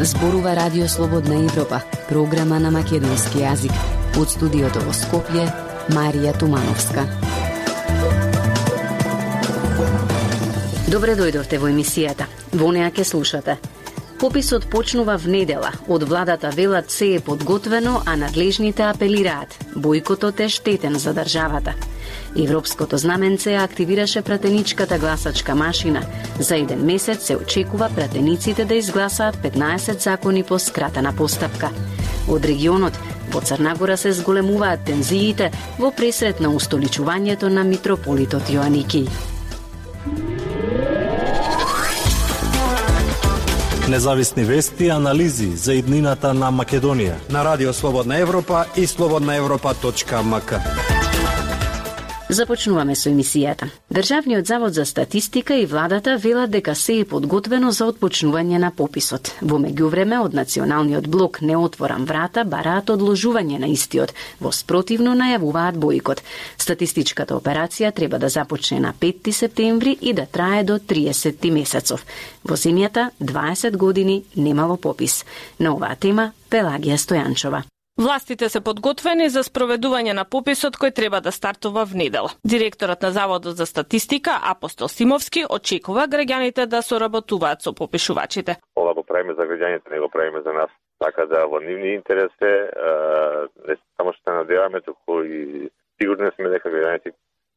Зборува Радио Слободна Европа, програма на македонски јазик. Од студиото во Скопје, Марија Тумановска. Добре дојдовте во емисијата. Во неа ќе слушате. Пописот почнува в недела. Од владата велат се е подготвено, а надлежните апелираат. Бојкотот е штетен за државата. Европското знаменце активираше пратеничката гласачка машина. За еден месец се очекува пратениците да изгласаат 15 закони по скратена постапка. Од регионот, во Црна Гора се зголемуваат тензиите во пресрет на устоличувањето на митрополитот Јоаники. Независни вести и анализи за иднината на Македонија на Радио Слободна Европа и slobodnaevropa.mk. Започнуваме со емисијата. Државниот завод за статистика и владата велат дека се е подготвено за отпочнување на пописот. Во меѓувреме од Националниот блок Не отворам врата бараат одложување на истиот, во спротивно најавуваат бојкот. Статистичката операција треба да започне на 5 септември и да трае до 30 месецов. Во земјата 20 години немало попис. На оваа тема Пелагија Стојанчова. Властите се подготвени за спроведување на пописот кој треба да стартува в недела. Директорот на Заводот за статистика Апостол Симовски очекува граѓаните да соработуваат со попишувачите. Ова го правиме за граѓаните, не го правиме за нас. Така да во нивни интерес е, не само што се надеваме, туку и сигурни сме дека граѓаните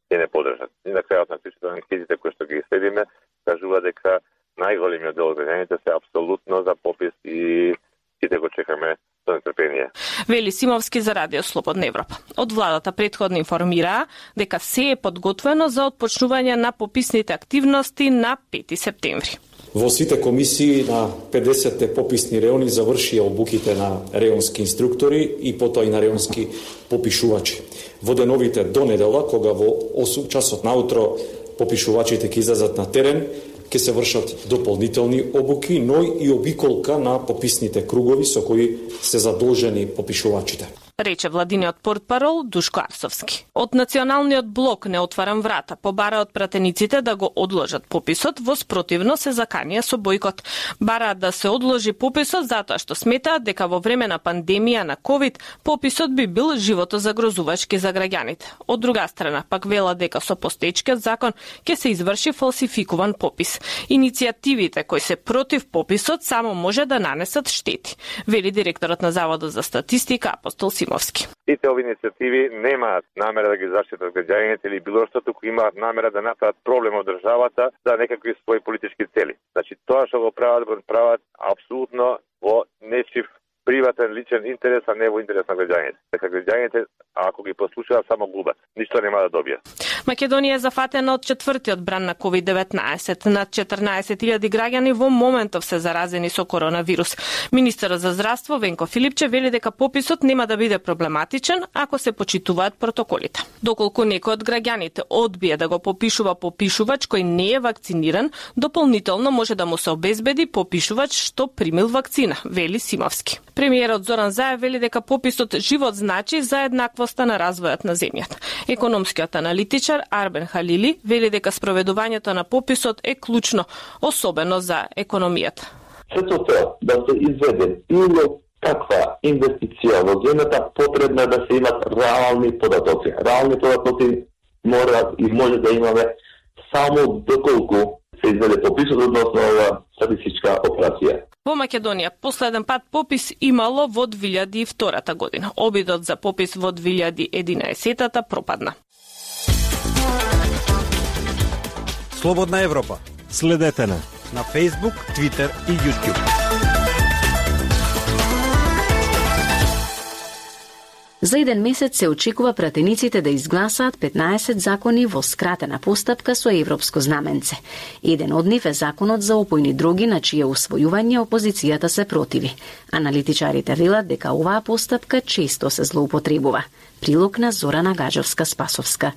ќе не подржат. И на крајот на кришето анкетите кои што ги следиме кажува дека најголемиот дел од граѓаните се апсолутно за попис и сите го чекаме со нетрпение. Вели Симовски за Радио Слободна Европа. Од владата претходно информираа дека се е подготвено за отпочнување на пописните активности на 5 септември. Во сите комисии на 50 пописни реони завршија обуките на реонски инструктори и потоа и на реонски попишувачи. Во деновите до недела, кога во 8 часот наутро попишувачите ќе излезат на терен, ќе се вршат дополнителни обуки, но и обиколка на пописните кругови со кои се задолжени попишувачите. Рече владиниот портпарол Душко Арсовски. Од Националниот блок Не отварам врата побараат пратениците да го одложат пописот, во спротивно се заканија со бојкот. Бараат да се одложи пописот затоа што сметаат дека во време на пандемија на ковид пописот би бил животозагрозувачки за граѓаните. Од друга страна, пак велат дека со постоечкиот закон ќе се изврши фалсификуван попис. Иницијативите кои се против пописот само може да нанесат штети, вели директорот на Заводот за статистика Апостол Симовски. Сите овие иницијативи немаат намера да ги заштитат граѓаните или било што, туку имаат намера да направат проблем од државата за некакви своји политички цели. Значи тоа што го прават апсолутно во нечив приватен личен интерес, а не во интерес на граѓаните. Дека граѓаните, ако ги послушаат, само губат. Ништо нема да добијат. Македонија е зафатена од четвртиот бран на COVID-19. Над 14.000 граѓани во моментов се заразени со коронавирус. Министерот за здравство Венко Филипче вели дека пописот нема да биде проблематичен ако се почитуваат протоколите. Доколку некој од граѓаните одбие да го попишува попишувач кој не е вакциниран, дополнително може да му се обезбеди попишувач што примил вакцина, вели Симовски. Премиерот Зоран Заев вели дека пописот живот значи за еднаквоста на развојот на земјата. Економскиот аналитичар Арбен Халили вели дека спроведувањето на пописот е клучно, особено за економијата. Сето да се изведе било каква инвестиција во земјата, потребно е да се имат реални податоци. Реални податоци мора и може да имаме само доколку се изведе пописот односно ова статистичка операција. Во Македонија последен пат попис имало во 2002 година. Обидот за попис во 2011 пропадна. Слободна Европа. Следете на Facebook, Twitter и YouTube. За еден месец се очекува пратениците да изгласаат 15 закони во скратена постапка со европско знаменце. Еден од нив е законот за опојни дроги, на чие усвојување опозицијата се противи. Аналитичарите велат дека оваа постапка често се злоупотребува. Прилог на Зорана Гаджовска-Спасовска.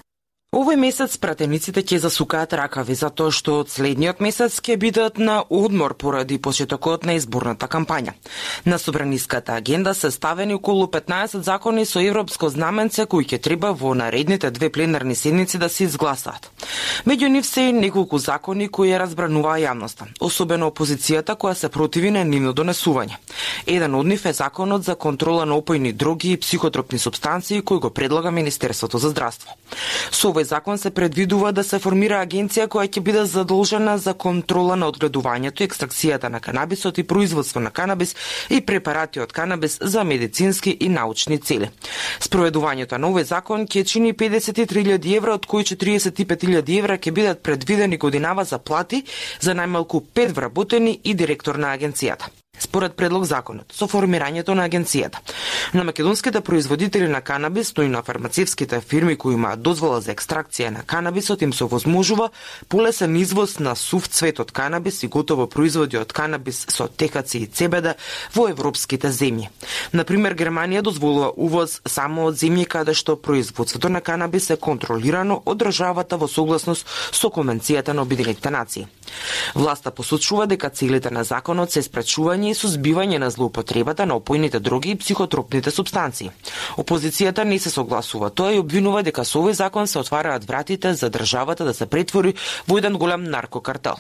Овој месец пратениците ќе засукаат ракави затоа што од следниот месец ќе бидат на одмор поради почетокот на изборната кампања. На собраниската агенда се ставени околу 15 закони со европско знаменце кои ќе треба во наредните 2 пленарни седмици да се изгласаат. Меѓу нив се и неколку закони кои ја разбрануваа јавноста, особено опозицијата која се противи на нивно донесување. Еден од нив е законот за контрола на опојни дроги и психотропни супстанции кој го предлага Министерството за здравство. Со овој закон се предвидува да се формира агенција која ќе биде задолжена за контрола на одгледувањето и екстракцијата на канабисот и производство на канабис и препарати од канабис за медицински и научни цели. Спроведувањето на овој закон ќе чини 53.000 евра, од кои 45.000 евра ќе бидат предвидени годинава за плати за најмалку 5 вработени и директор на агенцијата. Според предлог законот, со формирањето на агенцијата, на македонските производители на канабис, но и на фармацевските фирми кои имаат дозвола за екстракција на канабисот им се овозможува полесен извоз на сув цвет од канабис и готово производи од канабис со техаци и цебеда во европските земји. Например, Германија дозволува увоз само од земји каде што производството на канабис е контролирано од државата во согласност со Конвенцијата на Обединетите нации. Власта посочува дека целите на законот се спречување и сузбивање на злоупотребата на опојните дроги и психотропните супстанции. Опозицијата не се согласува тоа и обвинува дека со овој закон се отвараат вратите за државата да се претвори во еден голем наркокартел.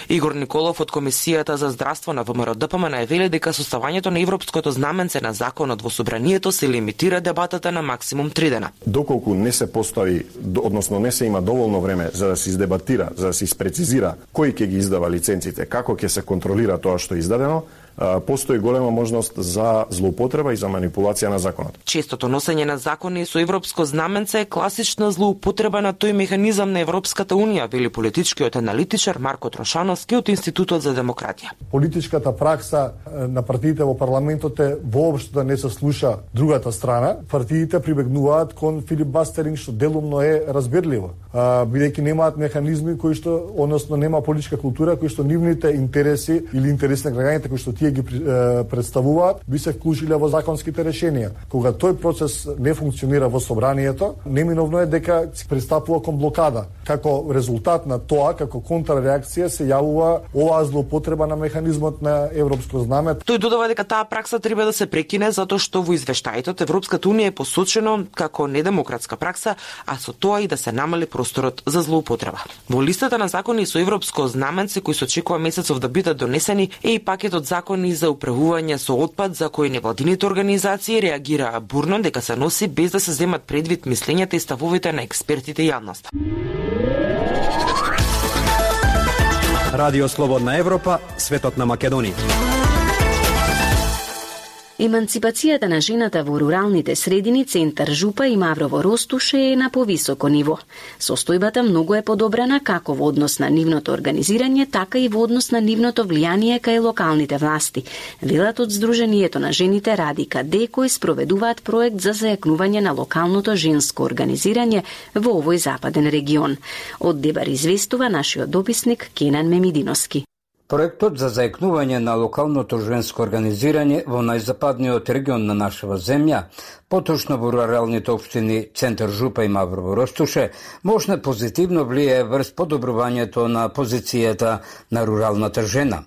Игор Николов од Комисијата за здравство на ВМРО-ДПМН вели дека составањето на европското знаменце на законот во собранието се лимитира дебатата на максимум 3 дена. Доколку не се постави, односно не се има доволно време за да се издебатира, за да се испрецизира кој ќе ги издава лиценците, како ќе се контролира тоа што е издадено, постои голема можност за злоупотреба и за манипулација на законот. Честото носење на закони со европско знаменце е класична злоупотреба на тој механизам на Европската унија, вели политичкиот аналитичар Марко Трошановски од Институтот за демократија. Политичката пракса на партиите во парламентот е воопшто да не се слуша другата страна. Партиите прибегнуваат кон филибастеринг што делумно е разбирливо, бидејќи немаат механизми кои што, односно нема политичка култура кои што нивните интереси или интереси на граѓаните кои што ги представуваат, би се вклучиле во законските решенија. Кога тој процес не функционира во собранието, неминовно е дека се пристапува кон блокада. Како резултат на тоа, како контрреакција се јавува оваа злоупотреба на механизмот на европско знаме. Тој додава дека таа пракса треба да се прекине затоа што во извештаите од Европската унија е посочено како недемократска пракса, а со тоа и да се намали просторот за злоупотреба. Во листата на закони со европско знаменце кои се очекува месецов да бидат донесени е и пакетот закони за управување со отпад за кои невладините организации реагираа бурно дека се носи без да се земат предвид мислењата и ставовите на експертите и јавноста. Радио Слободна Европа, светот на Македонија. Еманципацијата на жената во руралните средини, Центар Жупа и Маврово Ростуше е на повисоко ниво. Состојбата многу е подобрена како во однос на нивното организирање, така и во однос на нивното влијание кај локалните власти. Велат од Сдруженијето на жените Радика Д, кои спроведуваат проект за зајакнување на локалното женско организирање во овој западен регион. Од Дебар известува нашиот дописник Кенан Мемидиновски. Проектот за зајакнување на локалното женско организирање во најзападниот регион на нашава земја, поточно во руралните општини Центар Жупа и Маврово Ростуше, можна позитивно влијае врз подобрувањето на позицијата на руралната жена.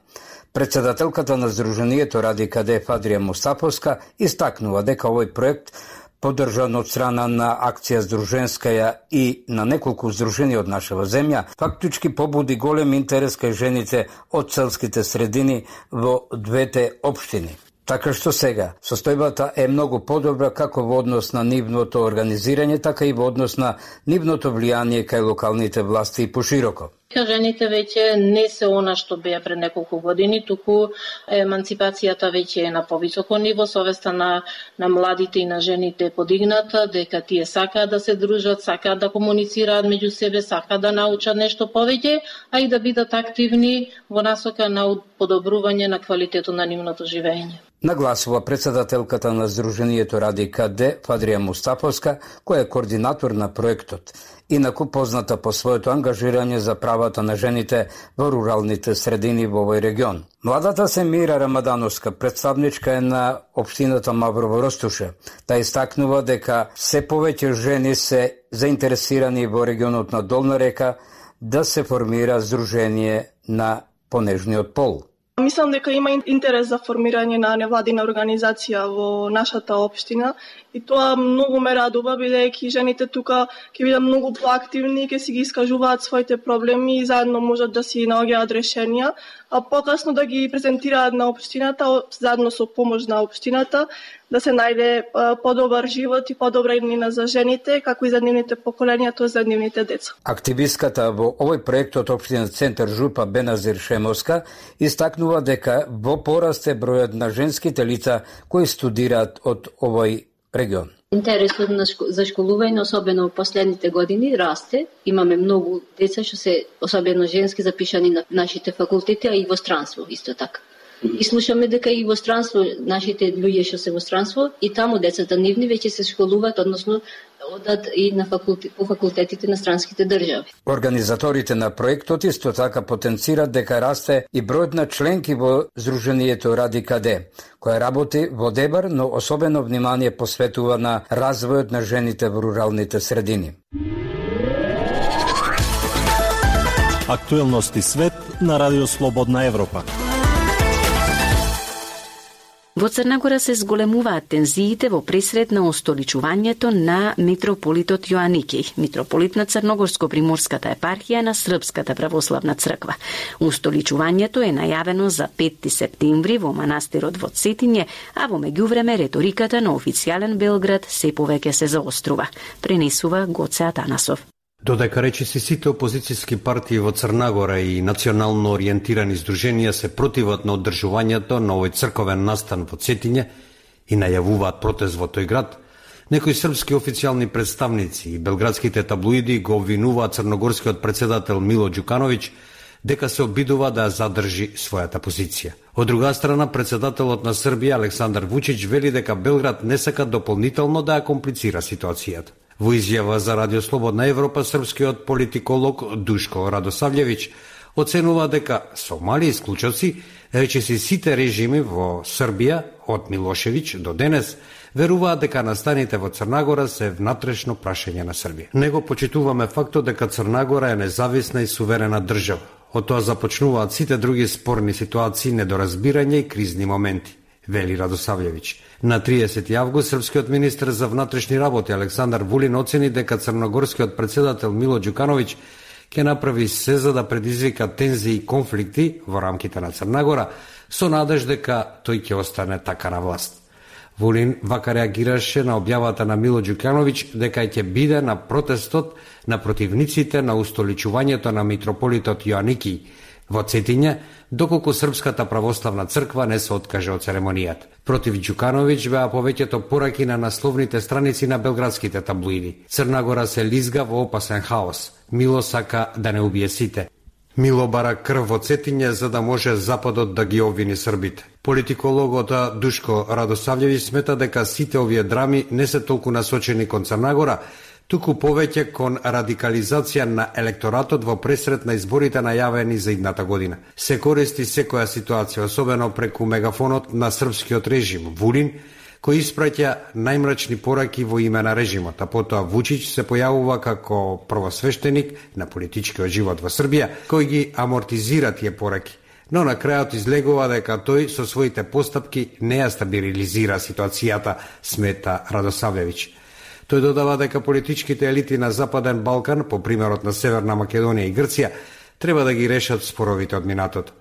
Председателката на Сдруженијето Радика Д Фадрија Мустаповска истакнува дека овој проект поддржан од страна на Акција Сдруженскаја и на неколку здруженија од нашава земја, фактички побуди голем интерес кај жените од селските средини во двете општини. Така што сега, состојбата е многу подобра како во однос на нивното организирање, така и во однос на нивното влијание кај локалните власти и пошироко. Жените веќе не се она што беа пред неколку години, туку еманципацијата веќе е на повисоко ниво, совеста на младите и на жените е подигната, дека тие сакаат да се дружат, сакаат да комуницираат меѓу себе, сакаат да научат нешто повеќе, а и да бидат активни во насока на подобрување на квалитетот на нивното живење. Нагласува председателката на Сдруженијето Радика Д Фадрија Мустаповска, која е координатор на проектот. Инаку позната по своето ангажирање за правото правата на жените во руралните средини во овој регион. Младата Семира Рамадановска, представничка е на општината Маврово Ростуше. Та истакнува дека се повеќе жени се заинтересирани во регионот на Долна река да се формира здружение на понежниот пол. Мислам дека има интерес за формирање на невладина организација во нашата општина и тоа многу ме радува, бидејќи жените тука ќе бидат многу поактивни, ќе си ги искажуваат своите проблеми и заедно можат да си наоѓаат решенија, а покасно да ги презентираат на општината, заедно со помош на општината, да се најде подобар живот и подобра иднина за жените, како и за нивните поколенија, тоа за нивните деца. Активистката во овој проект од општина Центар Жупа Беназир Шемовска истакнува дека во пораст е бројот на женските лица кои студираат од овој регион. Интересот за школување, особено во последните години, расте. Имаме многу деца што се, особено женски, запишани на нашите факултети, а и во странство исто така. И слушаме дека и во странство, нашите луѓе што се во странство, и таму децата нивни веќе се школуваат, односно одат и на по факултетите на странските држави. Организаторите на проектот исто така потенцират дека расте и бројот на членки во Здруженијето Ради Каде, која работи во Дебар, но особено внимание посветува на развојот на жените во руралните средини. Актуелности свет на Радио Слободна Европа. Во Црна Гора се зголемуваат тензиите во пресред на устоличувањето на митрополитот Јоаники, митрополит на Црногорско-приморската епархија на Српската православна црква. Устоличувањето е најавено за 5 септември во манастирот во Цетиње, а во меѓувреме реториката на официјален Белград се повеќе се заострува, пренесува Гоце Атанасов. Додека речиси сите опозицијски партии во Црна Гора и национално ориентирани здруженија се противат на одржувањето на овој црковен настан во Цетиње и најавуваат протест во тој град, некои српски официјални представници и белградските таблоиди го обвинуваат црногорскиот претседател Мило Ѓукановиќ дека се обидува да задржи својата позиција. Од друга страна, претседателот на Србија Александар Вучич вели дека Белград не сака дополнително да ја комплицира ситуацијата. Во изјава за Радио Слободна Европа, српскиот политиколог Душко Радосављевиќ оценува дека со мали исклучоци, речиси сите режими во Србија, од Милошевиќ до денес, веруваат дека настаните во Црна Гора се внатрешно прашање на Србија. Него почитуваме фактот дека Црна Гора е независна и суверена држава. Од тоа започнуваат сите други спорни ситуации, недоразбирање и кризни моменти, вели Радосављевиќ. На 30 август српскиот министер за внатрешни работи Александар Вулин оцени дека црногорскиот претседател Мило Ѓукановиќ ќе направи се за да предизвика тензии и конфликти во рамките на Црна Гора, со надеж дека тој ќе остане така на власт. Вулин вака реагираше на објавата на Мило Ѓукановиќ дека ќе биде на протестот на противниците на устоличувањето на митрополитот Јоаники во Цетиње, доколку Српската православна црква не се откаже од церемонијата. Против Ѓукановиќ беа повеќето пораки на насловните страници на белградските таблоиди. Црна Гора се лизга во опасен хаос. Мило сака да не убие сите. Мило бара крв во Цетиње за да може Западот да ги обвини србите. Политикологот Душко Радосављевиќ смета дека сите овие драми не се толку насочени кон Црна Гора, туку повеќе кон радикализација на електоратот во пресред на изборите најавени за идната година. Се користи секоја ситуација, особено преку мегафонот на српскиот режим, Вулин, кој испраќа најмрачни пораки во име на режимот, а потоа Вучич се појавува како првосвештеник на политичкиот живот во Србија, кој ги амортизира тие пораки. Но на крајот излегува дека тој со своите постапки не ја стабилизира ситуацијата, смета Радосављевиќ. Тој додава дека политичките елити на Западен Балкан, по примерот на Северна Македонија и Грција, треба да ги решат споровите од минатото.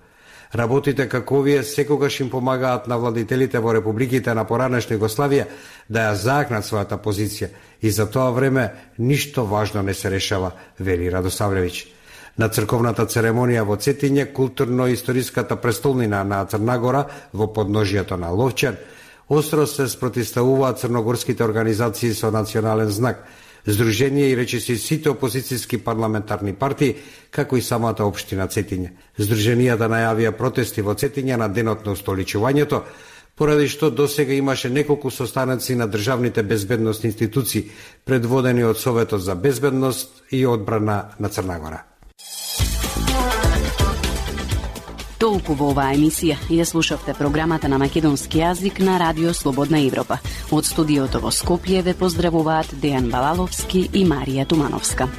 Работите како овие секогаш им помагаат на владителите во републиките на поранешна Југославија да ја заакнат својата позиција и за тоа време ништо важно не се решава, вели Радосављевиќ. На црковната церемонија во Цетиње, културно-историската престолнина на Црна Гора во подножието на Ловчан, остро се спротивставуваат црногорските организации со национален знак, здружение и речиси сите опозицијски парламентарни партии, како и самата општина Цетиње. Здруженијата најавија протести во Цетиње на денот на устоличувањето, поради што досега имаше неколку состаноци на државните безбедносни институции, предводени од Советот за безбедност и одбрана на Црна Гора. Толку во оваа емисија ја слушавте програмата на македонски јазик на Радио Слободна Европа. Од студиото во Скопје ве поздравуваат Дејан Балаловски и Марија Тумановска.